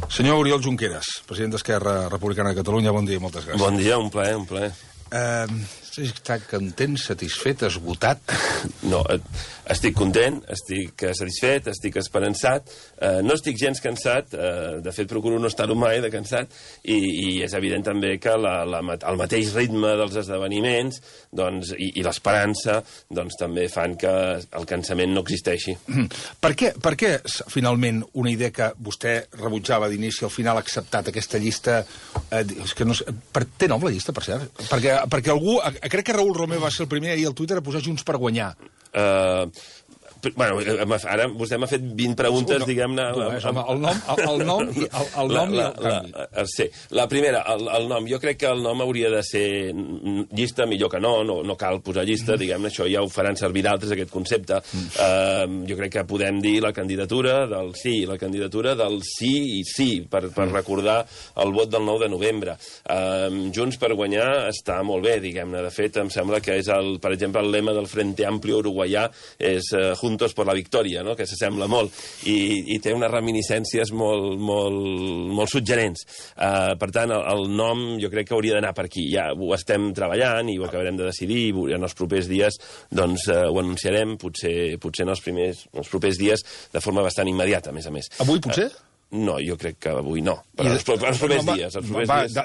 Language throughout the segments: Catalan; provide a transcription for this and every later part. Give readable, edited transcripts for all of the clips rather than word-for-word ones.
Senyor Oriol Junqueras, president d'Esquerra Republicana de Catalunya, bon dia i moltes gràcies. Bon dia, un plaer, un plaer. Està content, satisfet, esgotat? No, estic content, estic satisfet, estic esperançat, no estic gens cansat, de fet procuro no estar-ho mai de cansat, i és evident també que el mateix ritme dels esdeveniments doncs, i l'esperança doncs, també fan que el cansament no existeixi. Per què finalment una idea que vostè rebutjava d'inici al final ha acceptat aquesta llista? Té nom la llista, per cert? Perquè algú... Crec que Raül Romeu va ser el primer ahir al Twitter a posar Junts per guanyar. Bueno, ara vostè m'ha fet 20 preguntes, diguem-ne... El nom i el canvi. Sí, la primera, el nom. Jo crec que el nom hauria de ser llista, millor que no cal posar llista, diguem-ne, això ja ho faran servir d'altres, aquest concepte. Jo crec que podem dir la candidatura del sí, la candidatura del sí i sí, per recordar el vot del 9 de novembre. Junts per guanyar està molt bé, diguem-ne. De fet, em sembla que és, per exemple, el lema del Frente Amplio uruguaià és Juntos por la Victoria, no? Que s'assembla molt i té unes reminiscències molt suggerents. Per tant, el nom jo crec que hauria d'anar per aquí. Ja ho estem treballant i ho acabarem de decidir i en els propers dies doncs, ho anunciarem, potser en els propers dies de forma bastant immediata, a més a més. Avui, potser? No, jo crec que avui no. Però els propers dies.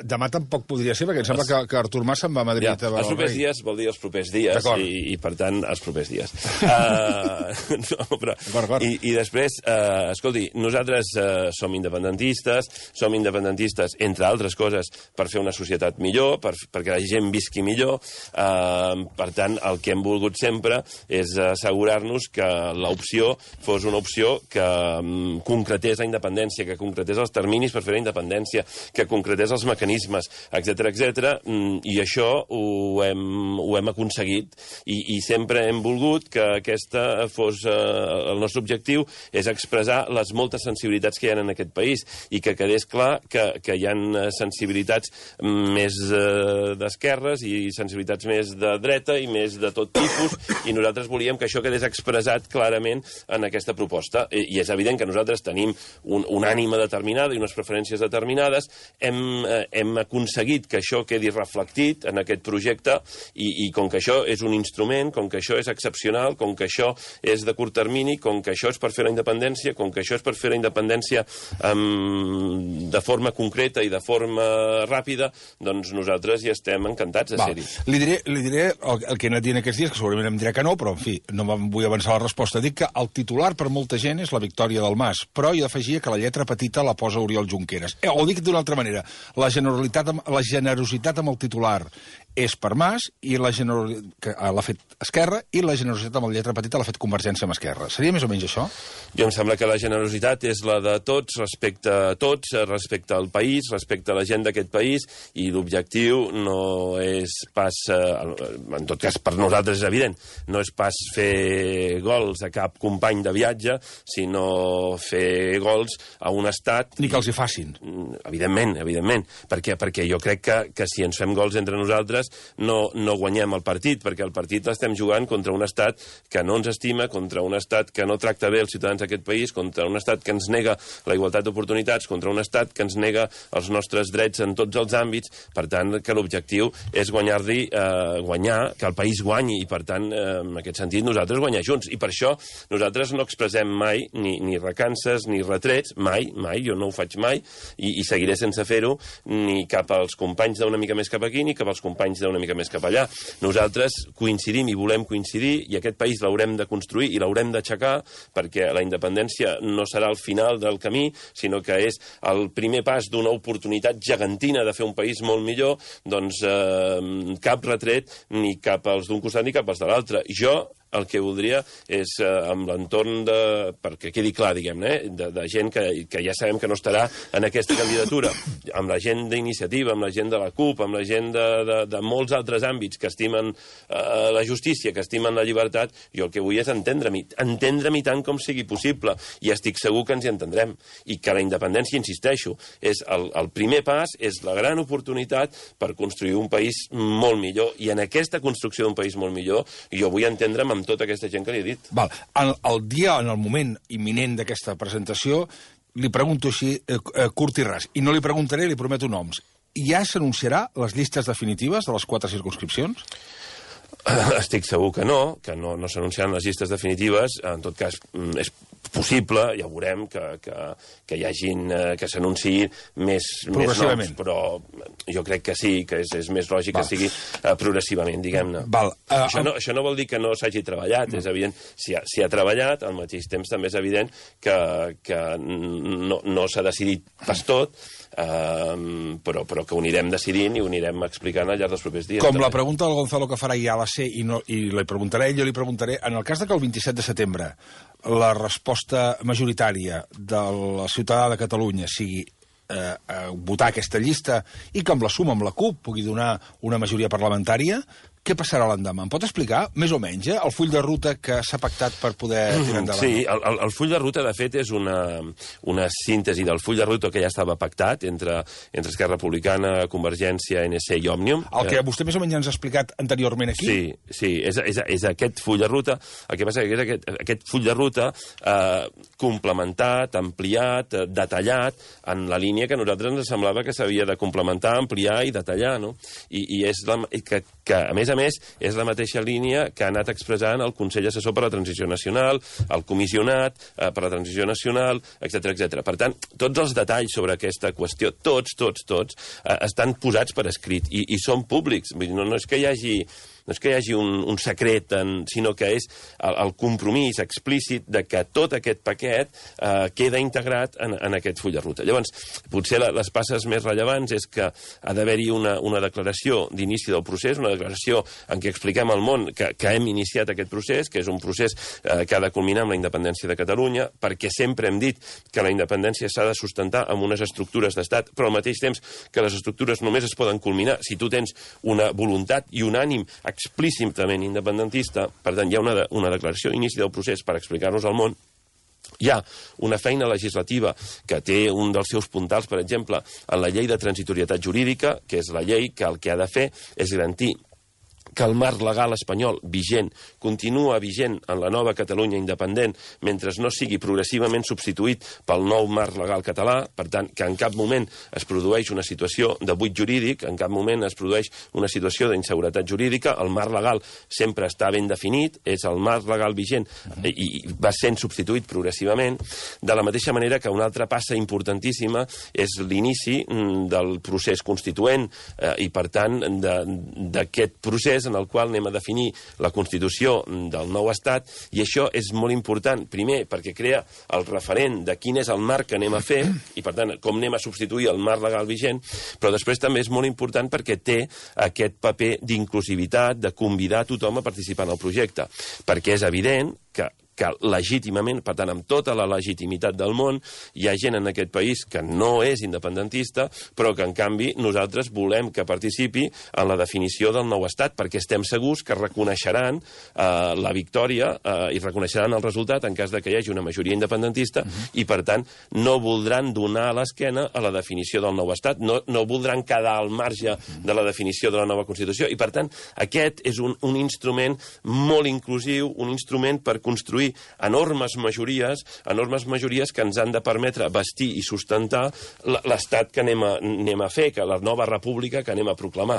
Demà tampoc podria ser, perquè em sembla que Artur Mas se'n va a Madrid. Els propers dies vol dir els propers dies, i per tant, els propers dies. I després, escolti, nosaltres som independentistes, entre altres coses, per fer una societat millor, perquè la gent visqui millor. Per tant, el que hem volgut sempre és assegurar-nos que l'opció fos una opció que concretés la independència, que concretés els terminis per fer la independència, que concretés els mecanismes, etc. I això ho hem aconseguit i sempre hem volgut que aquesta fos el nostre objectiu, és expressar les moltes sensibilitats que hi ha en aquest país i que quedés clar que hi ha sensibilitats més d'esquerres i sensibilitats més de dreta i més de tot tipus, i nosaltres volíem que això quedés expressat clarament en aquesta proposta. I és evident que nosaltres tenim una ànima determinada i unes preferències determinades, hem aconseguit que això quedi reflectit en aquest projecte i com que això és un instrument, com que això és excepcional, com que això és de curt termini, com que això és per fer la independència, com que això és per fer la independència de forma concreta i de forma ràpida, doncs nosaltres hi estem encantats de ser-hi. Li diré el que he anat dient aquests dies, que segurament em dirà que no, però en fi, no me'n vull avançar la resposta. Dic que el titular per molta gent és la victòria del Mas, però hi afegia que la lletra petita la posa Oriol Junqueras. O dic d'una altra manera, la generositat amb el titular és per Mas, i l'ha fet Esquerra, i la generositat amb la lletra petita l'ha fet Convergència amb Esquerra. Seria més o menys això? Jo em sembla que la generositat és la de tots, respecte a tots, respecte al país, respecte a la gent d'aquest país, i l'objectiu no és pas, en tot cas per nosaltres és evident, no és pas fer gols a cap company de viatge, sinó fer gols a un estat... Ni que els hi facin. Evidentment, perquè jo crec que si ens fem gols entre nosaltres no guanyem el partit, perquè el partit l'estem jugant contra un estat que no ens estima, contra un estat que no tracta bé els ciutadans d'aquest país, contra un estat que ens nega la igualtat d'oportunitats, contra un estat que ens nega els nostres drets en tots els àmbits. Per tant, que l'objectiu és guanyar, que el país guanyi, i per tant, en aquest sentit, nosaltres guanyar junts. I per això nosaltres no expressem mai ni recances ni retrets, mai, jo no ho faig mai, i seguiré sense fer-ho, ni cap als companys d'una mica més cap aquí, ni cap als companys d'una mica més cap allà. Nosaltres coincidim i volem coincidir, i aquest país l'haurem de construir i l'haurem d'aixecar, perquè la independència no serà el final del camí, sinó que és el primer pas d'una oportunitat gegantina de fer un país molt millor. Doncs cap retret ni cap als d'un costat ni cap als de l'altre. Jo el que voldria és, amb l'entorn perquè quedi clar, diguem-ne, de gent que ja sabem que no estarà en aquesta candidatura, amb la gent d'Iniciativa, amb la gent de la CUP, amb la gent de molts altres àmbits que estimen la justícia, que estimen la llibertat, jo el que vull és entendre-m'hi tant com sigui possible, i estic segur que ens hi entendrem, i que la independència, insisteixo, és el primer pas, és la gran oportunitat per construir un país molt millor, i en aquesta construcció d'un país molt millor jo vull entendre'm amb tota aquesta gent que li he dit. En el moment imminent d'aquesta presentació, li pregunto així, curt i ras, i no li preguntaré, li prometo noms. Ja s'anunciarà les llistes definitives de les 4 circumscripcions? Estic segur que no s'anunciaran les llistes definitives. En tot cas, és possible, ja veurem, que hi hagin, que s'anunciï més noms, però jo crec que sí, que és més lògic que sigui progressivament, diguem-ne. Això no vol dir que no s'hagi treballat, és evident, si ha treballat, al mateix temps també és evident que no s'ha decidit pas tot, però que ho anirem decidint i ho anirem explicant al llarg dels propers dies. Com la pregunta del Gonzalo que farà ja la sé i li preguntaré, jo li preguntaré, en el cas que el 27 de setembre la resposta majoritària de la ciutadà de Catalunya sigui votar aquesta llista i que amb la suma amb la CUP pugui donar una majoria parlamentària, què passarà l'endemà? Em pot explicar, més o menys, el full de ruta que s'ha pactat per poder tirar endavant? Sí, el full de ruta, de fet, és una síntesi del full de ruta que ja estava pactat entre Esquerra Republicana, Convergència, ANC i Òmnium. El que vostè més o menys ens ha explicat anteriorment aquí? Sí, és aquest full de ruta. El que passa que és aquest full de ruta complementat, ampliat, detallat, en la línia que a nosaltres ens semblava que s'havia de complementar, ampliar i detallar, no? I és que a més, és la mateixa línia que ha anat expressant el Consell Assessor per a la Transició Nacional, el Comissionat per a la Transició Nacional, etc. Per tant, tots els detalls sobre aquesta qüestió, tots, estan posats per escrit i són públics. No és que hi hagi un secret, sinó que és el compromís explícit de que tot aquest paquet queda integrat en aquest full de ruta. Llavors, potser les passes més rellevants és que ha d'haver-hi una declaració d'inici del procés, una declaració en què expliquem al món que hem iniciat aquest procés, que és un procés que ha de culminar amb la independència de Catalunya, perquè sempre hem dit que la independència s'ha de sustentar amb unes estructures d'estat, però al mateix temps que les estructures només es poden culminar si tu tens una voluntat i un ànim explícitament independentista. Per tant, hi ha una declaració d'inici del procés per explicar-nos al món. Hi ha una feina legislativa que té un dels seus puntals, per exemple, en la llei de transitorietat jurídica, que és la llei que el que ha de fer és garantir que el marc legal espanyol vigent continua vigent en la nova Catalunya independent mentre no sigui progressivament substituït pel nou marc legal català, per tant, que en cap moment es produeix una situació de buit jurídic, en cap moment es produeix una situació d'inseguretat jurídica, el marc legal sempre està ben definit, és el marc legal vigent i va sent substituït progressivament, de la mateixa manera que una altra passa importantíssima és l'inici del procés constituent i, per tant, d'aquest procés en el qual anem a definir la Constitució del nou Estat, i això és molt important, primer, perquè crea el referent de quin és el marc que anem a fer, i per tant, com anem a substituir el marc legal vigent, però després també és molt important perquè té aquest paper d'inclusivitat, de convidar tothom a participar en el projecte, perquè és evident que legítimament, per tant, amb tota la legitimitat del món, hi ha gent en aquest país que no és independentista, però que, en canvi, nosaltres volem que participi en la definició del nou estat, perquè estem segurs que reconeixeran la victòria i reconeixeran el resultat en cas de que hi hagi una majoria independentista i, per tant, no voldran donar a l'esquena a la definició del nou estat, no voldran quedar al marge de la definició de la nova Constitució, i, per tant, aquest és un instrument molt inclusiu, un instrument per construir enormes majories que ens han de permetre vestir i sustentar l'estat que anem a fer, que la nova república que anem a proclamar.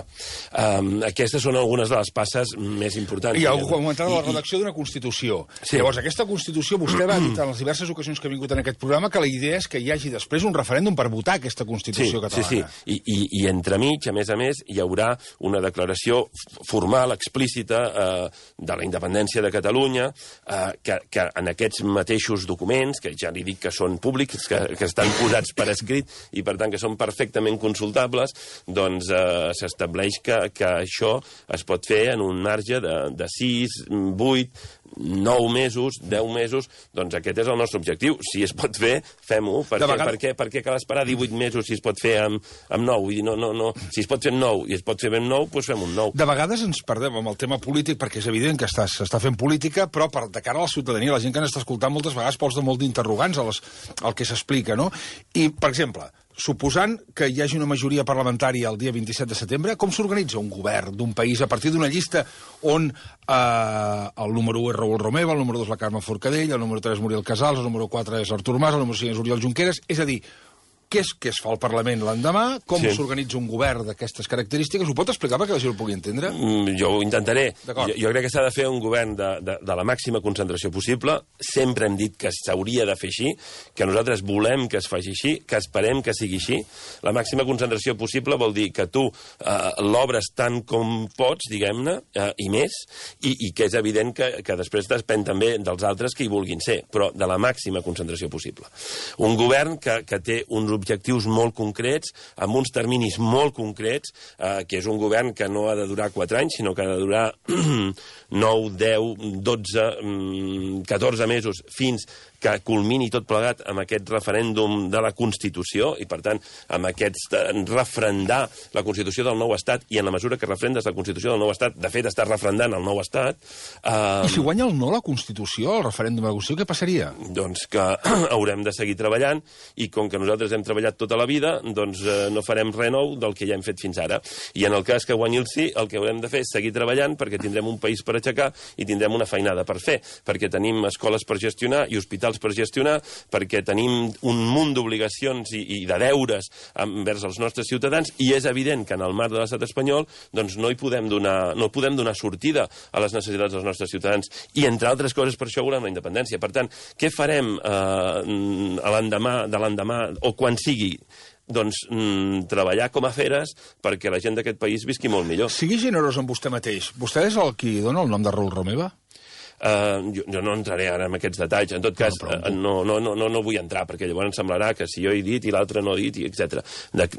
Aquestes són algunes de les passes més importants. I algú comentava la redacció d'una Constitució. Sí. Llavors, aquesta Constitució, vostè va dir en les diverses ocasions que ha vingut en aquest programa que la idea és que hi hagi després un referèndum per votar aquesta Constitució catalana. Sí. I entremig, a més, hi haurà una declaració formal, explícita, de la independència de Catalunya, que en aquests mateixos documents, que ja li dic que són públics, que estan posats per escrit i, per tant, que són perfectament consultables, doncs s'estableix que això es pot fer en un marge de 6, 8, 9 mesos, 10 mesos, doncs aquest és el nostre objectiu. Si es pot fer, fem-ho. Per què cal esperar 18 mesos si es pot fer amb 9? Vull dir, no. Si es pot fer amb 9 i es pot fer amb 9, doncs fem un 9. De vegades ens perdem amb el tema polític, perquè és evident que s'està fent política, però de cara a la ciutadania, la gent que ens està escoltant moltes vegades posa molt d'interrogants al que s'explica, no? I, per exemple, suposant que hi hagi una majoria parlamentària el dia 27 de setembre, com s'organitza un govern d'un país a partir d'una llista on el número 1 és Raül Romeva, el número 2 la Carme Forcadell, el número 3 Muriel Casals, el número 4 és Artur Mas, el número 5 és Oriol Junqueras, és a dir, què es fa al Parlament l'endemà, com s'organitza un govern d'aquestes característiques, ho pot explicar perquè la gent ho pugui entendre? Jo ho intentaré. Jo crec que s'ha de fer un govern de la màxima concentració possible. Sempre hem dit que s'hauria de fer així, que nosaltres volem que es faci així, que esperem que sigui així. La màxima concentració possible vol dir que tu l'obres tant com pots, diguem-ne, i més, i que és evident que després depèn també dels altres que hi vulguin ser, però de la màxima concentració possible. Un govern que té uns objectius molt concrets, amb uns terminis molt concrets, que és un govern que no ha de durar 4 anys, sinó que ha de durar 9, 10, 12, 14 mesos, fins que culmini tot plegat amb aquest referèndum de la Constitució i, per tant, amb aquest refrendar la Constitució del nou Estat i en la mesura que refrendes la Constitució del nou Estat, de fet, estàs refrendant el nou Estat... I si guanya el no la Constitució, el referèndum de la Constitució, què passaria? Doncs que haurem de seguir treballant i com que nosaltres hem treballat tota la vida, doncs no farem res nou del que ja hem fet fins ara. I en el cas que guanyi el sí, el que haurem de fer és seguir treballant perquè tindrem un país per aixecar i tindrem una feinada per fer, perquè tenim escoles per gestionar i hospitals per gestionar, perquè tenim un munt d'obligacions i de deures envers els nostres ciutadans i és evident que en el marc de l'estat espanyol doncs no podem donar sortida a les necessitats dels nostres ciutadans i, entre altres coses, per això volem la independència. Per tant, què farem l'endemà o quan sigui? Doncs treballar com a feres perquè la gent d'aquest país visqui molt millor. Sigui generós amb vostè mateix. Vostè és el qui dona el nom de Raül Romeva? Jo no entraré ara en aquests detalls. En tot cas, no vull entrar, perquè llavors em semblarà que si jo he dit i l'altre no he dit, etc.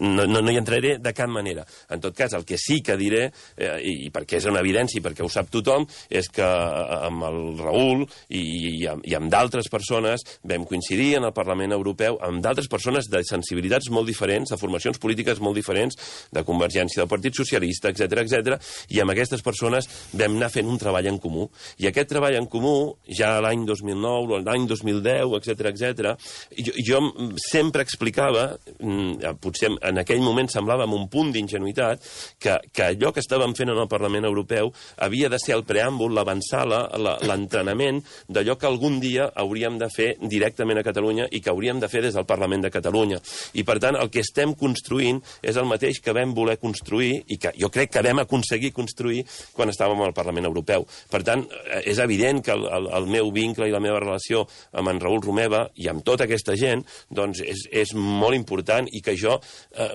No hi entraré de cap manera. En tot cas, el que sí que diré, i perquè és una evidència i perquè ho sap tothom, és que amb el Raül i amb d'altres persones vam coincidir en el Parlament Europeu amb d'altres persones de sensibilitats molt diferents, de formacions polítiques molt diferents, de Convergència, del Partit Socialista, etc., i amb aquestes persones vam anar fent un treball en comú. I aquest treball en comú, ja l'any 2009, l'any 2010, etc., jo sempre explicava, potser en aquell moment semblava amb un punt d'ingenuïtat, que allò que estàvem fent en el Parlament Europeu havia de ser el preàmbul, l'avançala, l'entrenament d'allò que algun dia hauríem de fer directament a Catalunya i que hauríem de fer des del Parlament de Catalunya. I, per tant, el que estem construint és el mateix que vam voler construir i que jo crec que vam aconseguir construir quan estàvem al Parlament Europeu. Per tant, és evident que el meu vincle i la meva relació amb en Raül Romeva i amb tota aquesta gent doncs és molt important i que jo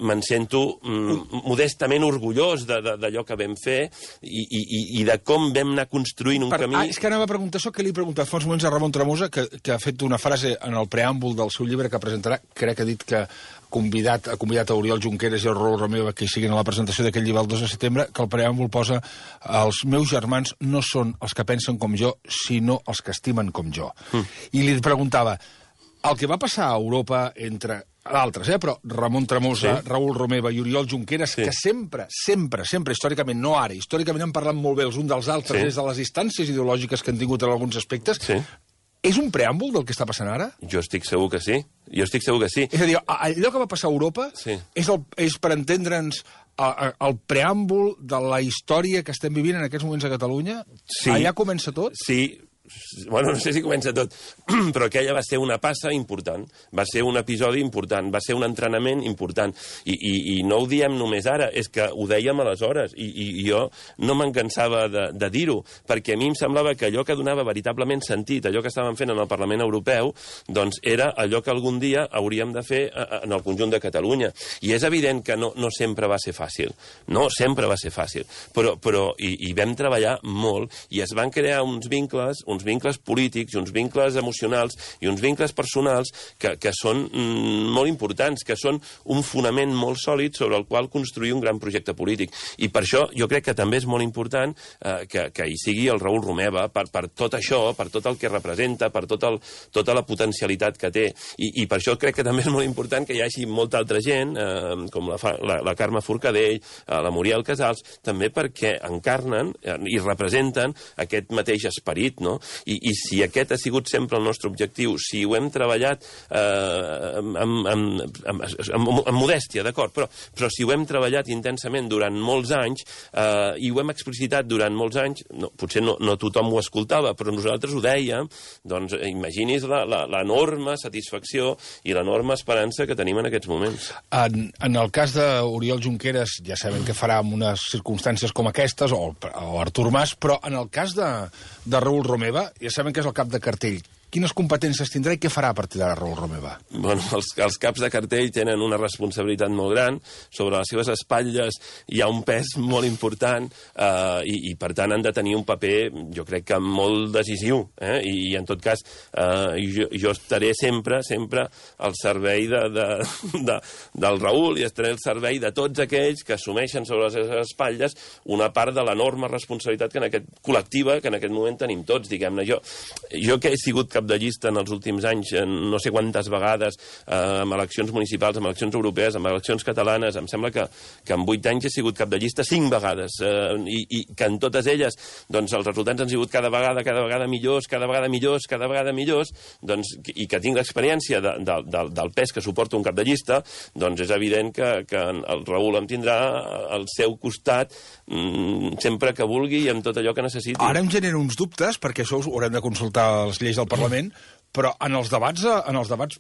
me'n sento modestament orgullós d'allò que vam fer i de com vam anar construint un camí. És que anava a preguntar això que li he preguntat fa uns moments a Ramon Tremosa, que ha fet una frase en el preàmbul del seu llibre que presentarà, crec que ha dit que ha convidat a Oriol Junqueras i a Raül Romeva que hi siguin a la presentació d'aquest llibre el 2 de setembre, que el preàmbul posa els meus germans no són els que pensen com jo, sinó els que estimen com jo. I li preguntava, el que va passar a Europa entre d'altres, però Ramon Tremosa, Raül Romeva i Oriol Junqueras, que sempre, històricament, no ara, històricament han parlat molt bé els uns dels altres des de les distàncies ideològiques que han tingut en alguns aspectes, és un preàmbul del que està passant ara? Jo estic segur que sí. És a dir, allò que va passar a Europa és per entendre'ns el preàmbul de la història que estem vivint en aquests moments a Catalunya? Allà comença tot? Sí. Bueno, no sé si comença tot, però aquella va ser una passa important, va ser un episodi important, va ser un entrenament important, i no ho diem només ara, és que ho dèiem aleshores, i jo no me'n cansava de dir-ho, perquè a mi em semblava que allò que donava veritablement sentit, allò que estàvem fent en el Parlament Europeu, doncs era allò que algun dia hauríem de fer en el conjunt de Catalunya. I és evident que no sempre va ser fàcil, però hi vam treballar molt, i es van crear uns vincles polítics, uns vincles emocionals i uns vincles personals que són molt importants, que són un fonament molt sòlid sobre el qual construir un gran projecte polític. I per això jo crec que també és molt important que hi sigui el Raül Romeva per tot això, per tot el que representa, per tota la potencialitat que té. I per això crec que també és molt important que hi hagi molta altra gent, com la Carme Forcadell, la Muriel Casals, també perquè encarnen i representen aquest mateix esperit, no? I si aquest ha sigut sempre el nostre objectiu, si ho hem treballat amb modèstia, d'acord, però si ho hem treballat intensament durant molts anys i ho hem explicitat durant molts anys, potser no tothom ho escoltava, però nosaltres ho dèiem, doncs imagini's l'enorme satisfacció i l'enorme esperança que tenim en aquests moments. En el cas d'Oriol Junqueras, ja sabem què farà en unes circumstàncies com aquestes, o Artur Mas, però en el cas de Raül Romeva, ja sabem que és el cap de cartell. Quines competències tindrà i què farà a partir d'ara Raül Romeva? Bueno, els caps de cartell tenen una responsabilitat molt gran, sobre les seves espatlles hi ha un pes molt important i per tant han de tenir un paper, jo crec que molt decisiu, i en tot cas jo estaré sempre al servei del Raül i estaré al servei de tots aquells que assumeixen sobre les seves espatlles una part de l'enorme responsabilitat col·lectiva que en aquest moment tenim tots, diguem-ne. Jo que he sigut cap de llista en els últims anys, no sé quantes vegades, amb eleccions municipals, amb eleccions europees, amb eleccions catalanes, em sembla que en 8 anys he sigut cap de llista 5 vegades, i que en totes elles doncs, els resultats han sigut cada vegada millors, doncs, i que tinc l'experiència del pes que suporta un cap de llista, doncs és evident que el Raül em tindrà al seu costat sempre que vulgui i amb tot allò que necessiti. Ara em genera uns dubtes, perquè això ho haurem de consultar les lleis del Parlament, però en els debats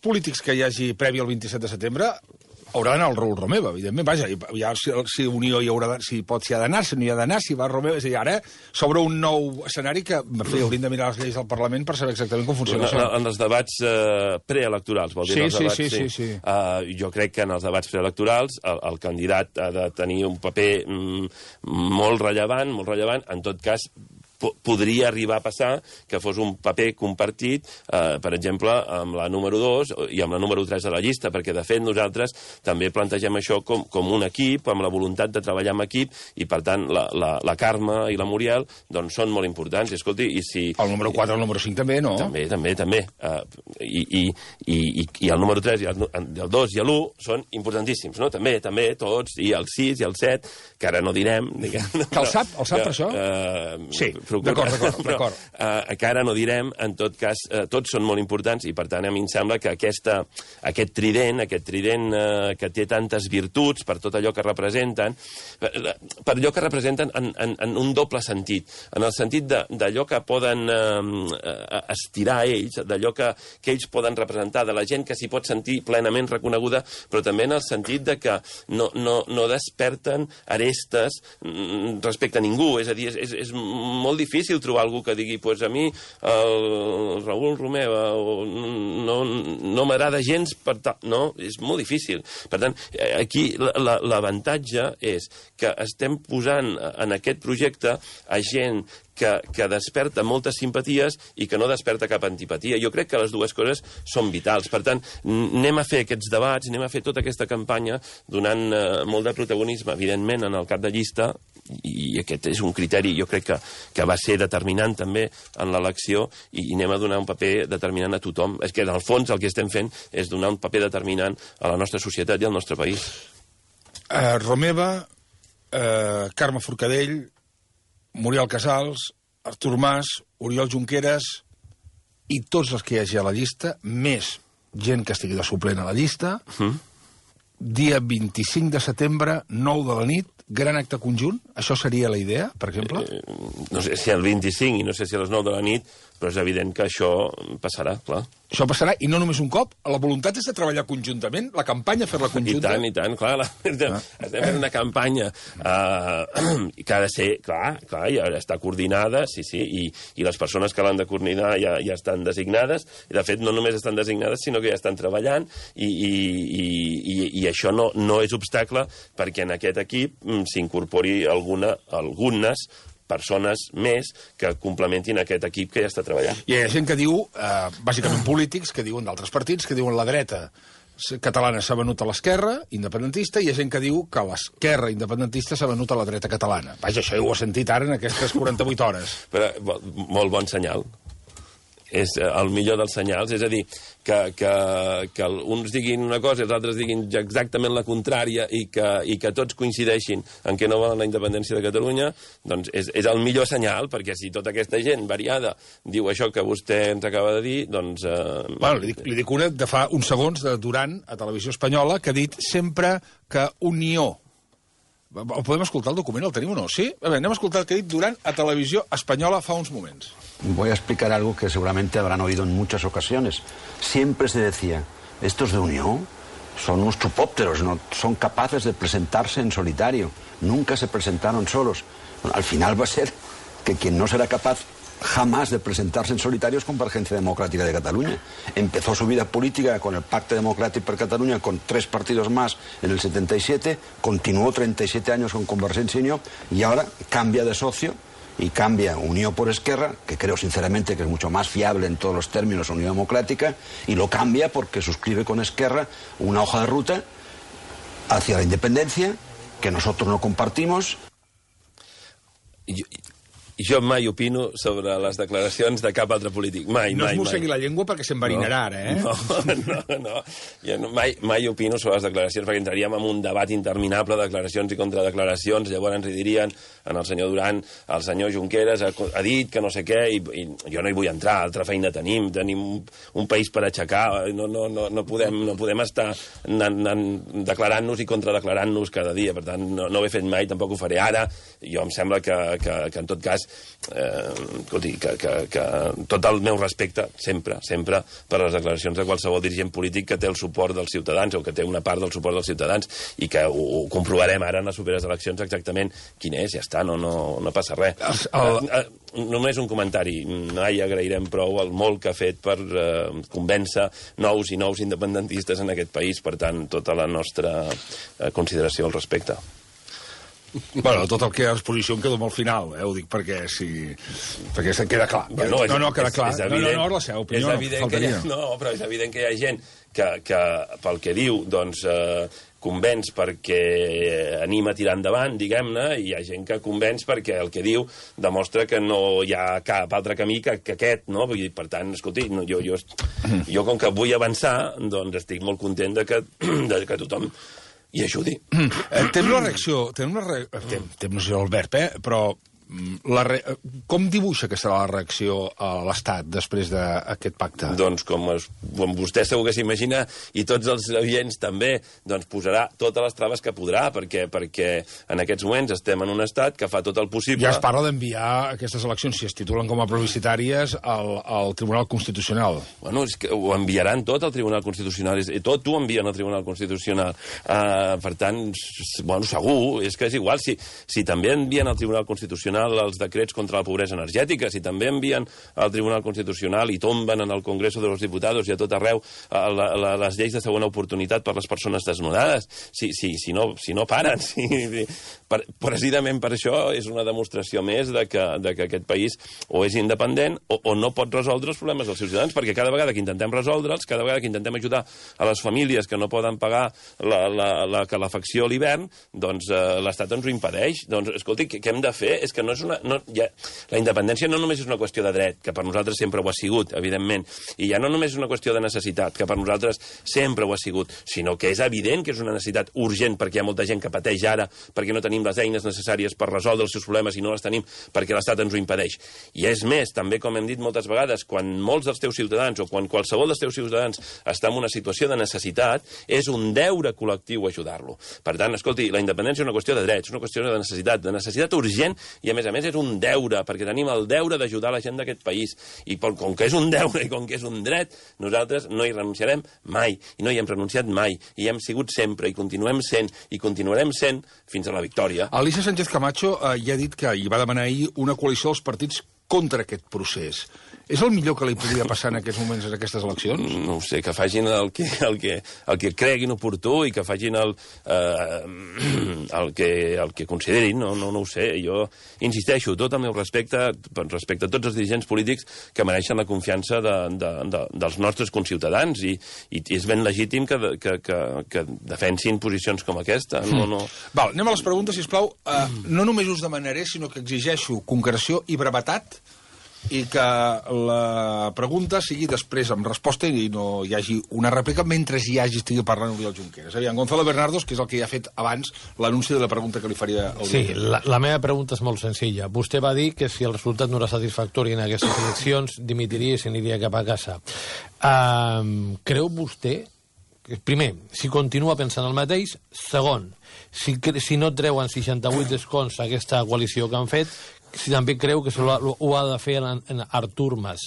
polítics que hi hagi previ al 27 de setembre haurà d'anar el Raül Romeva, evidentment. Vaja, ja si Unió hi haurà, si ha d'anar, si no hi ha d'anar, si va Romeva... És a dir, ara s'obre un nou escenari que, en fi, hauríem de mirar les lleis del Parlament per saber exactament com funciona això. En els debats preelectorals, vol dir? Sí. Jo crec que en els debats preelectorals el candidat ha de tenir un paper molt rellevant, en tot cas podria arribar a passar que fos un paper compartit, per exemple, amb la número 2 i amb la número 3 de la llista, perquè, de fet, nosaltres també plantegem això com un equip, amb la voluntat de treballar en equip, i, per tant, la Carme i la Muriel doncs, són molt importants. I, escolti, i si... El número 4 i el número 5 també, no? També. I el número 3 i el 2 i l'1 són importantíssims, no? També, tots, i el 6 i el 7, que ara no direm... Que el sap per això? Sí. D'acord. Que ara no direm, en tot cas, tots són molt importants i, per tant, a mi em sembla que aquest trident que té tantes virtuts per tot allò que representen, per allò que representen en un doble sentit, en el sentit d'allò que poden estirar ells, d'allò que ells poden representar, de la gent que s'hi pot sentir plenament reconeguda, però també en el sentit de que no desperten arestes respecte a ningú, és a dir, és molt difícil trobar algú que digui pues a mi el Raül Romeva no m'agrada gens per tal. No, és molt difícil. Per tant, aquí l'avantatge és que estem posant en aquest projecte a gent que desperta moltes simpaties i que no desperta cap antipatia. Jo crec que les dues coses són vitals. Per tant, anem a fer aquests debats, anem a fer tota aquesta campanya donant molt de protagonisme, evidentment, en el cap de llista, i aquest és un criteri, jo crec que va ser determinant també en l'elecció, i anem a donar un paper determinant a tothom. És que, en el fons, el que estem fent és donar un paper determinant a la nostra societat i al nostre país. Romeva, Carme Forcadell, Muriel Casals, Artur Mas, Oriol Junqueras i tots els que hi hagi a la llista, més gent que estigui de suplent a la llista, dia 25 de setembre, 9 de la nit, gran acte conjunt? Això seria la idea, per exemple? No sé si al 25 i no sé si a les 9 de la nit, però és evident que això passarà, clar. Això passarà, i no només un cop. La voluntat és de treballar conjuntament, la campanya, fer-la conjunta. I tant, clar. Estem fent una campanya que ha de ser, clar, i està coordinada, sí, i les persones que l'han de coordinar ja estan designades, i de fet no només estan designades, sinó que ja estan treballant, i això no és obstacle perquè en aquest equip s'incorpori algunes persones més que complementin aquest equip que ja està treballant. I hi ha gent que diu, bàsicament polítics, que diuen d'altres partits, que diuen la dreta catalana s'ha venut a l'esquerra independentista, i hi ha gent que diu que l'esquerra independentista s'ha venut a la dreta catalana. Vaja, això ho he sentit ara en aquestes 48 hores. Però molt bon senyal. és el millor dels senyals, és a dir, que uns diguin una cosa i els altres diguin exactament la contrària i que tots coincideixin en què no volen la independència de Catalunya, doncs és el millor senyal, perquè si tota aquesta gent variada diu això que vostè ens acaba de dir, doncs... Bueno, li dic una de fa uns segons de Duran a Televisió Espanyola, que ha dit sempre que Unió... Podem escoltar el document? El tenim o no? Sí? A veure, anem a escoltar el que ha dit Duran a Televisió Espanyola fa uns moments. Voy a explicar algo que seguramente habrán oído en muchas ocasiones. Siempre se decía, estos de Unión son unos chupópteros, no son capaces de presentarse en solitario. Nunca se presentaron solos. Bueno, al final va a ser que quien no será capaz jamás de presentarse en solitario es Convergencia Democrática de Cataluña. Empezó su vida política con el Pacte Democràtic per Catalunya, con 3 partidos más en el 77, continuó 37 años con Convergencia y Unió, y ahora cambia de socio y cambia Unió por Esquerra, que creo sinceramente que es mucho más fiable en todos los términos Unió Democrática, y lo cambia porque suscribe con Esquerra una hoja de ruta hacia la independencia que nosotros no compartimos. Jo mai opino sobre les declaracions de cap altre polític. Mai. No es mossegui la llengua perquè s'enverinarà ara, eh? No. Jo mai opino sobre les declaracions perquè entraríem en un debat interminable de declaracions i contradeclaracions. Llavors ens hi dirien al senyor Duran, el senyor Junqueras ha dit que no sé què, i jo no hi vull entrar, altra feina tenim un país per aixecar, no podem estar declarant-nos i contradeclarant-nos cada dia. Per tant, no ho he fet mai, tampoc ho faré ara. Jo em sembla que en tot cas escolti, que tot el meu respecte sempre per les declaracions de qualsevol dirigent polític que té el suport dels ciutadans o que té una part del suport dels ciutadans, i que ho comprovarem ara en les properes eleccions exactament quin és, ja està, no passa res. Només un comentari. Mai agrairem prou el molt que ha fet per convèncer nous i nous independentistes en aquest país, per tant, tota la nostra consideració al respecte. Bueno, tot el que a exposició em quedo molt final, ho dic perquè queda clar. No, queda clar. No, la seva opinió faltaria. No, però és evident que hi ha gent que pel que diu, doncs, convenç perquè anima a tirar endavant, diguem-ne, i hi ha gent que convenç perquè el que diu demostra que no hi ha cap altre camí que aquest, no? Per tant, escolti, jo com que vull avançar, doncs estic molt content de que tothom i ajudi. Tem una reacció... Tem no sé el verb, però... Com dibuixa que serà la reacció a l'Estat després d'aquest pacte? Doncs com vostè segur que s'imagina, i tots els oients també, doncs posarà totes les traves que podrà, perquè en aquests moments estem en un estat que fa tot el possible... Ja es parla d'enviar aquestes eleccions, si es titulen com a plebiscitàries, al Tribunal Constitucional. Bueno, és que ho enviaran tot al Tribunal Constitucional, tot ho envien al Tribunal Constitucional. Per tant, bueno, segur, és que és igual. Si també envien al Tribunal Constitucional els decrets contra la pobresa energètica, si també envien al Tribunal Constitucional i tomben en el Congreso de los Diputados i a tot arreu les lleis de segona oportunitat per les persones desnonades, si no paren, precisament per això és una demostració més de que aquest país o és independent o no pot resoldre els problemes dels seus ciutadans, perquè cada vegada que intentem resoldre'ls, cada vegada que intentem ajudar a les famílies que no poden pagar la calefacció a l'hivern, doncs l'Estat ens ho impedeix. Doncs, escolti, què hem de fer? És que no és la independència no només és una qüestió de dret, que per nosaltres sempre ho ha sigut, evidentment, i ja no només és una qüestió de necessitat, que per nosaltres sempre ho ha sigut, sinó que és evident que és una necessitat urgent, perquè hi ha molta gent que pateix ara, perquè no tenim les eines necessàries per resoldre els seus problemes i no les tenim perquè l'Estat ens ho impedeix. I és més, també, com hem dit moltes vegades, quan molts dels teus ciutadans o quan qualsevol dels teus ciutadans està en una situació de necessitat, és un deure col·lectiu ajudar-lo. Per tant, escolti, la independència és una qüestió de drets, és una qüestió de necessitat urgent, i a més és un deure, perquè tenim el deure d'ajudar la gent d'aquest país. I com que és un deure i com que és un dret, nosaltres no hi renunciarem mai, i no hi hem renunciat mai, i hi hem sigut sempre, i continuem sent, i continuarem sent fins a la victòria. Alicia Sánchez Camacho ja ha dit que hi va demanar ahir una coalició dels partits contra aquest procés. És el millor que li podria passar en aquests moments en aquestes eleccions? No ho sé, que facin el que creguin oportú i que facin el que considerin, no ho sé. Jo insisteixo, tot el meu respecte a tots els dirigents polítics que mereixen la confiança dels nostres conciutadans, i és ben legítim que defensin posicions com aquesta. Val, anem a les preguntes, sisplau. No només us demanaré, sinó que exigeixo concreció i brevetat i que la pregunta sigui després amb resposta i no hi hagi una rèplica mentre estigui parlant Oriol Junqueras. Aviam, Gonzalo Bernardos, que és el que ja ha fet abans l'anunci de la pregunta que li faria el Sí, la meva pregunta és molt senzilla. Vostè va dir que si el resultat no era satisfactori en aquestes eleccions, dimitiria i s'aniria cap a casa. Creu vostè, primer, si continua pensant el mateix, segon, si no treuen 68 escons aquesta coalició que han fet, si també creu que ho ha de fer en Artur Mas.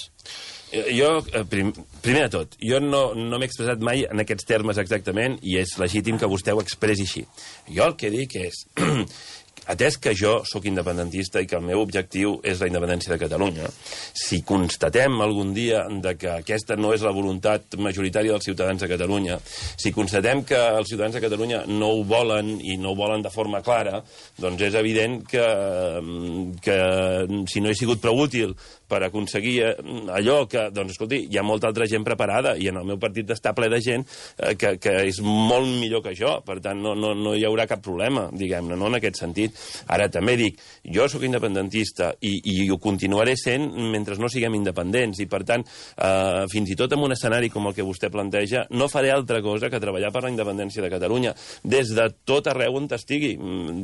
Jo, primer de tot, jo no m'he expressat mai en aquests termes exactament i és legítim que vostè ho expressi així. Jo el que dic és, atès que jo sóc independentista i que el meu objectiu és la independència de Catalunya, si constatem algun dia que aquesta no és la voluntat majoritària dels ciutadans de Catalunya, si constatem que els ciutadans de Catalunya no ho volen i no ho volen de forma clara, doncs és evident que si no he sigut prou útil per aconseguir allò que, doncs, escolti, hi ha molta altra gent preparada i en el meu partit està ple de gent que és molt millor que jo, per tant no hi haurà cap problema, diguem-ne, no en aquest sentit. Ara també dic, jo sóc independentista i ho continuaré sent mentre no siguem independents i per tant, fins i tot en un escenari com el que vostè planteja, no faré altra cosa que treballar per la independència de Catalunya des de tot arreu on estigui,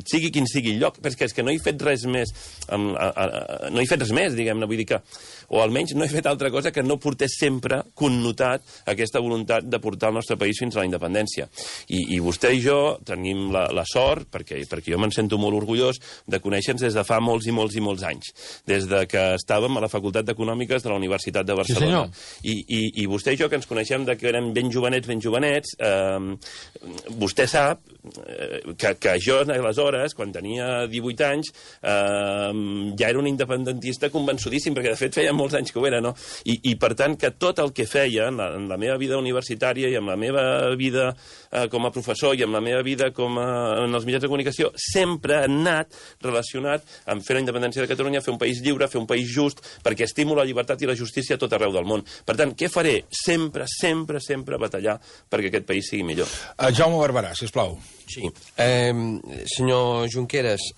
sigui quin sigui el lloc, perquè és que no he fet res més no he fet res més, diguem-ne, vull dir que o almenys no he fet altra cosa que no portés sempre connotat aquesta voluntat de portar el nostre país fins a la independència. I vostè i jo tenim la sort, perquè jo me'n sento molt orgullós, de conèixer-nos des de fa molts i molts i molts anys. Des de que estàvem a la Facultat d'Econòmiques de la Universitat de Barcelona. Sí, I vostè i jo, que ens coneixem de que érem ben jovenets, vostè sap que jo, aleshores, quan tenia 18 anys, ja era un independentista convençudíssim, perquè de fet feia molts anys que ho era, no? I per tant, que tot el que feia en la meva vida universitària i en la meva vida com a professor i en la meva vida en els mitjans de comunicació, sempre ha anat relacionat amb fer la independència de Catalunya, fer un país lliure, fer un país just, perquè estimo la llibertat i la justícia a tot arreu del món. Per tant, què faré? Sempre, sempre, sempre batallar perquè aquest país sigui millor. Jaume Barberà, sisplau. Sí. Senyor Junqueras,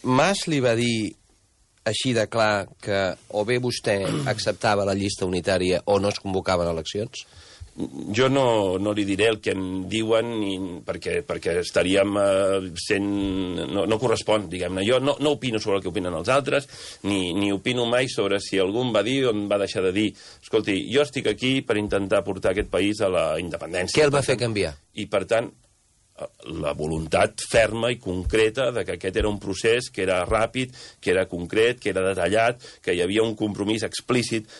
Mas li va dir així de clar que o bé vostè acceptava la llista unitària o no es convocaven eleccions? Jo no li diré el que em diuen perquè estaríem sent... No correspon, diguem-ne. Jo no opino sobre el que opinen els altres, ni opino mai sobre si algú va dir o em va deixar de dir. Escolti, jo estic aquí per intentar portar aquest país a la independència. Què el va fer canviar? I, per tant, la voluntat ferma i concreta de que aquest era un procés que era ràpid, que era concret, que era detallat, que hi havia un compromís explícit,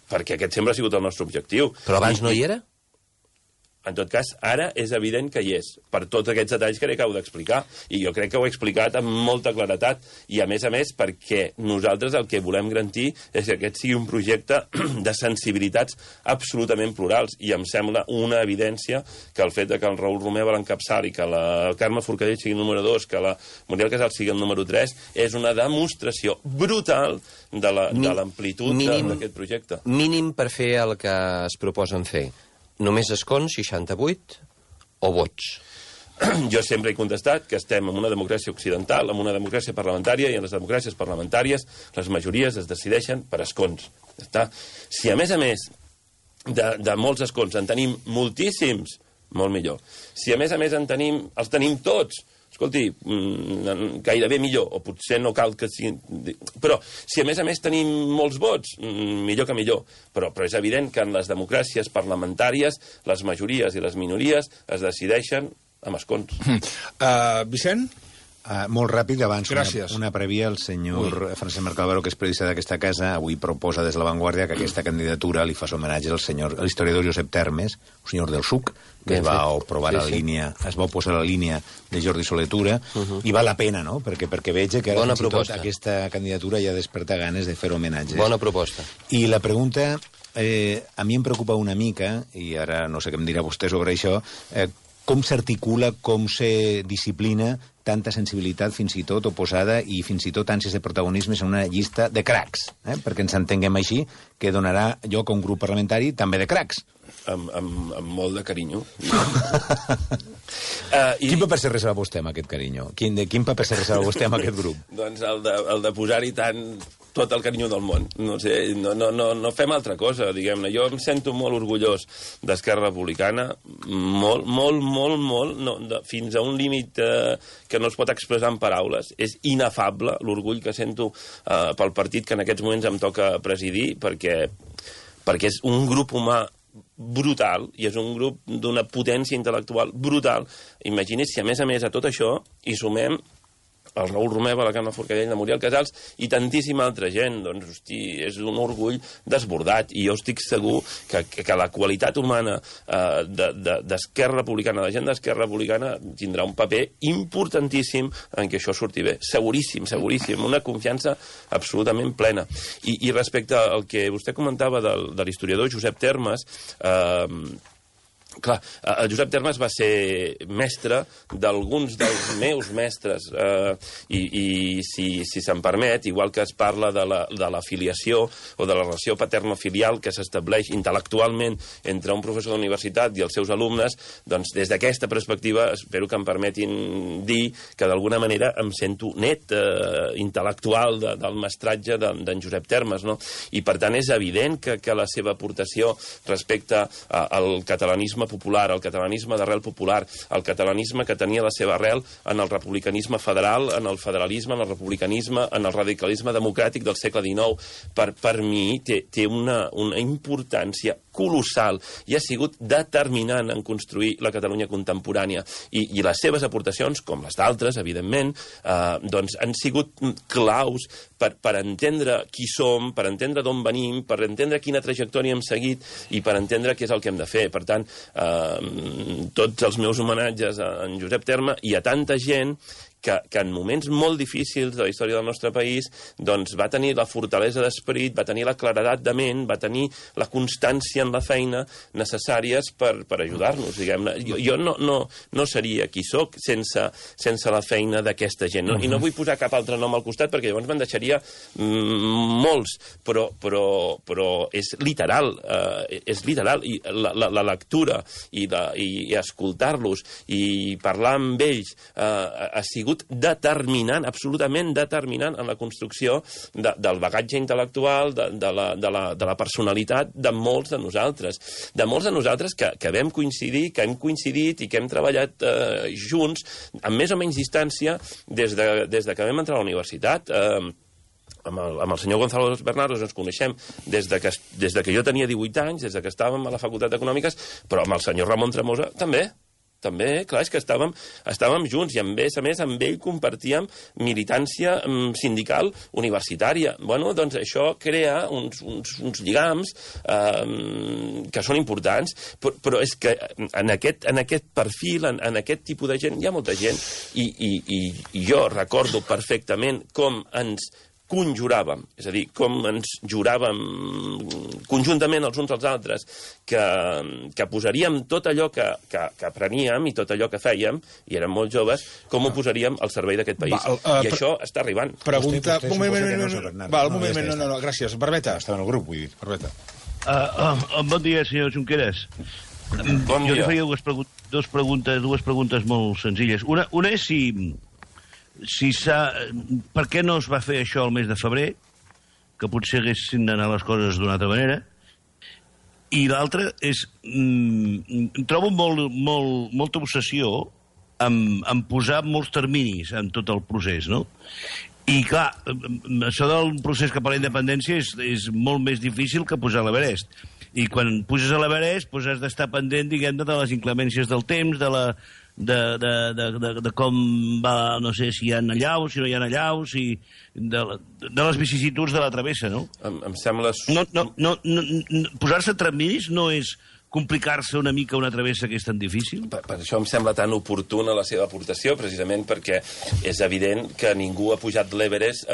perquè aquest sempre ha sigut el nostre objectiu. Però abans no hi era? En tot cas, ara és evident que hi és, per tots aquests detalls que acabo d'explicar, i jo crec que ho he explicat amb molta claretat, i a més, perquè nosaltres el que volem garantir és que aquest sigui un projecte de sensibilitats absolutament plurals, i em sembla una evidència que el fet que el Raül Romeva l'encapçali, que la Carme Forcadell sigui el número 2, que la Muriel Casals sigui el número 3, és una demostració brutal de l'amplitud d'aquest projecte. Mínim per fer el que es proposen fer. Només escons, 68, o vots? Jo sempre he contestat que estem en una democràcia occidental, en una democràcia parlamentària, i en les democràcies parlamentàries les majories es decideixen per escons. Si a més de molts escons en tenim moltíssims, molt millor. Si a més els tenim tots, escolti, gairebé millor, o potser no cal que sigui... Però, si a més tenim molts vots, millor que millor. Però és evident que en les democràcies parlamentàries les majories i les minories es decideixen amb escons. Vicent? Molt ràpid, abans Gràcies. una prèvia. El senyor Francesc Mercadal, que és periodista d'aquesta casa, avui proposa des de La Vanguardia que aquesta candidatura li fa homenatge a l'historiador Josep Termes, un senyor del SUC, que es va oposar a la línia de Jordi Soletura, i val la pena, no?, perquè veig que ara fins i tot aquesta candidatura ja desperta ganes de fer homenatges. Bona proposta. I la pregunta, a mi em preocupa una mica, i ara no sé què em dirà vostè sobre això, com s'articula, com se disciplina tanta sensibilitat fins i tot oposada i fins i tot ànsies de protagonismes en una llista de cracs, perquè ens entenguem així, que donarà lloc a un grup parlamentari també de cracs. Amb molt de carinyo. Quin paper se reserva vostè amb aquest carinyo? Quin paper se reserva vostè amb aquest grup? Doncs el de posar-hi tant tot el carinyo del món. No sé, no fem altra cosa, diguem-ne. Jo em sento molt orgullós d'Esquerra Republicana, molt, fins a un límit que no es pot expressar en paraules. És inefable l'orgull que sento pel partit que en aquests moments em toca presidir, perquè és un grup humà brutal, i és un grup d'una potència intel·lectual brutal. Imagini's si, a més, a tot això, hi sumem el Raül Romeva, la Carme Forcadell, la Muriel Casals i tantíssima altra gent. Doncs, hosti, és un orgull desbordat, i jo estic segur que la qualitat humana d'Esquerra Republicana, de la gent d'Esquerra Republicana, tindrà un paper importantíssim en què això surti bé. Seguríssim, una confiança absolutament plena. I respecte al que vostè comentava de l'historiador Josep Termes, clar, el Josep Termes va ser mestre d'alguns dels meus mestres, i si se'm permet, igual que es parla de la filiació o de la relació paterno-filial que s'estableix intel·lectualment entre un professor d'universitat i els seus alumnes, doncs des d'aquesta perspectiva espero que em permetin dir que d'alguna manera em sento net intel·lectual del mestratge d'en Josep Termes, no? I per tant és evident que la seva aportació respecte al catalanisme popular, el catalanisme d'arrel popular, el catalanisme que tenia la seva arrel en el republicanisme federal, en el federalisme, en el republicanisme, en el radicalisme democràtic del segle XIX, per mi té una importància colossal i ha sigut determinant en construir la Catalunya contemporània. I les seves aportacions, com les d'altres, evidentment, doncs han sigut claus per entendre qui som, per entendre d'on venim, per entendre quina trajectòria hem seguit i per entendre què és el que hem de fer. Per tant, tots els meus homenatges a en Josep Terme i a tanta gent que en moments molt difícils de la història del nostre país doncs va tenir la fortalesa d'esperit, va tenir la claredat de ment, va tenir la constància en la feina necessàries per ajudar-nos, diguem-ne. Jo no seria qui soc sense la feina d'aquesta gent. I no vull posar cap altre nom al costat perquè llavors me'n deixaria molts, però és literal, i la lectura i escoltar-los i parlar amb ells ha sigut determinant, absolutament determinant en la construcció del bagatge intel·lectual, de la personalitat de molts de nosaltres que vam coincidir, que hem coincidit i que hem treballat junts amb més o menys distància des de que vam entrar a la universitat. Amb el senyor Gonzalo Bernardos ens coneixem des de que jo tenia 18 anys, des de que estàvem a la Facultat d'Econòmiques, però amb el senyor Ramon Tremosa també, clar, és que estàvem junts i a més amb ell compartíem militància sindical universitària. Bueno, doncs això crea uns lligams que són importants, però és que en aquest perfil, en aquest tipus de gent, hi ha molta gent, i jo recordo perfectament com ens conjuràvem, és a dir, com ens juràvem conjuntament els uns als altres que posaríem tot allò que apreníem i tot allò que fèiem, i érem molt joves, com ho posaríem al servei d'aquest país. I això està arribant. Pregunta... Un moment, gràcies. Barbeta. Estava en el grup, vull dir. Barbeta. Bon dia, senyor Junqueras. Bon dia. Jo li faria dues preguntes molt senzilles. Una és per què no es va fer això el mes de febrer, que potser haguessin d'anar les coses d'una altra manera, i l'altra és trobo molta obsessió en posar molts terminis en tot el procés, no? I clar, això del procés cap a la independència és molt més difícil que pujar a l'Everest. I quan puges a l'Everest has d'estar pendent, diguem-ne, de les inclemències del temps, de com va, no sé, si hi ha allaus, si no hi ha allaus, i de les vicissituds de la travessa, no? Em sembla... Posar-se terminis no és complicar-se una mica una travessa que és tan difícil? Per això em sembla tan oportuna la seva aportació, precisament perquè és evident que ningú ha pujat l'Everest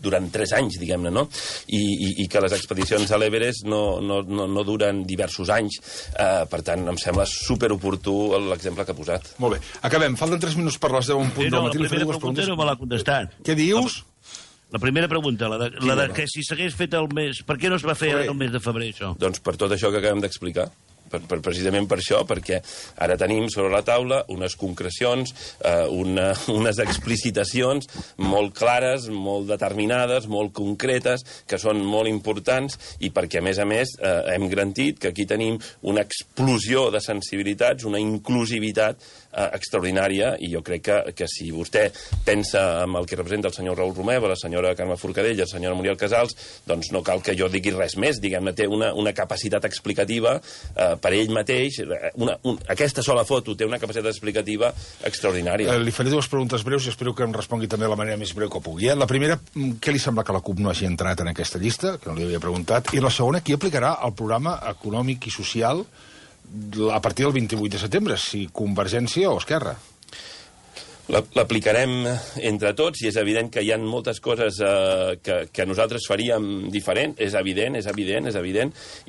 durant 3 anys, diguem-ne, no? I que les expedicions a l'Everest no duren diversos anys. Per tant, em sembla superoportú l'exemple que ha posat. Molt bé. Acabem. Falten 3 minuts per les 10 en punt del matí. La primera pregunta no me l'ha contestat. Què dius? La primera pregunta, la de que si s'hagués fet el mes... Per què no es va fer el mes de febrer, això? Doncs per tot això que acabem d'explicar. precisament per això, perquè ara tenim sobre la taula unes concrecions, unes explicitacions molt clares, molt determinades, molt concretes, que són molt importants, i perquè, a més, hem garantit que aquí tenim una explosió de sensibilitats, una inclusivitat extraordinària, i jo crec que si vostè pensa en el que representa el senyor Raül Romeva, la senyora Carme Forcadell i la senyora Muriel Casals, doncs no cal que jo digui res més, diguem-ne, té una capacitat explicativa per ell mateix, aquesta sola foto té una capacitat explicativa extraordinària. Li faré dues preguntes breus i espero que em respongui també de la manera més breu que pugui. La primera, què li sembla que la CUP no hagi entrat en aquesta llista, que no li havia preguntat, i la segona, qui aplicarà el programa econòmic i social a partir del 28 de setembre, si Convergència o Esquerra? L'aplicarem entre tots, i és evident que hi ha moltes coses que nosaltres faríem diferent, és evident,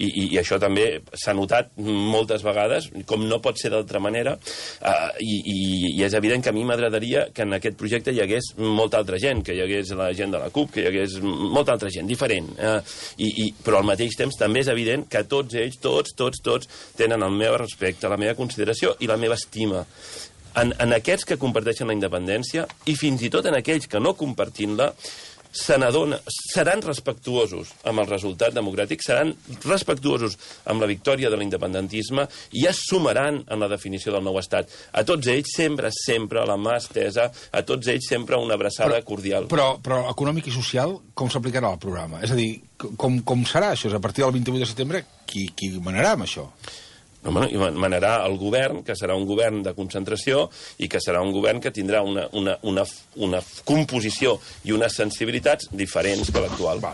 i això també s'ha notat moltes vegades, com no pot ser d'altra manera, i és evident que a mi m'agradaria que en aquest projecte hi hagués molta altra gent, que hi hagués la gent de la CUP, que hi hagués molta altra gent, diferent, però al mateix temps també és evident que tots ells, tots tenen el meu respecte, la meva consideració i la meva estima. En aquests que comparteixen la independència, i fins i tot en aquells que no compartint-la, seran respectuosos amb el resultat democràtic, seran respectuosos amb la victòria de l'independentisme i es sumaran en la definició del nou estat. A tots ells sempre la mà estesa, a tots ells sempre una abraçada cordial. Però econòmic i social, com s'aplicarà el programa? És a dir, com serà això? A partir del 28 de setembre, qui manarà amb això? Manarà el govern, que serà un govern de concentració i que serà un govern que tindrà una composició i unes sensibilitats diferents que l'actual.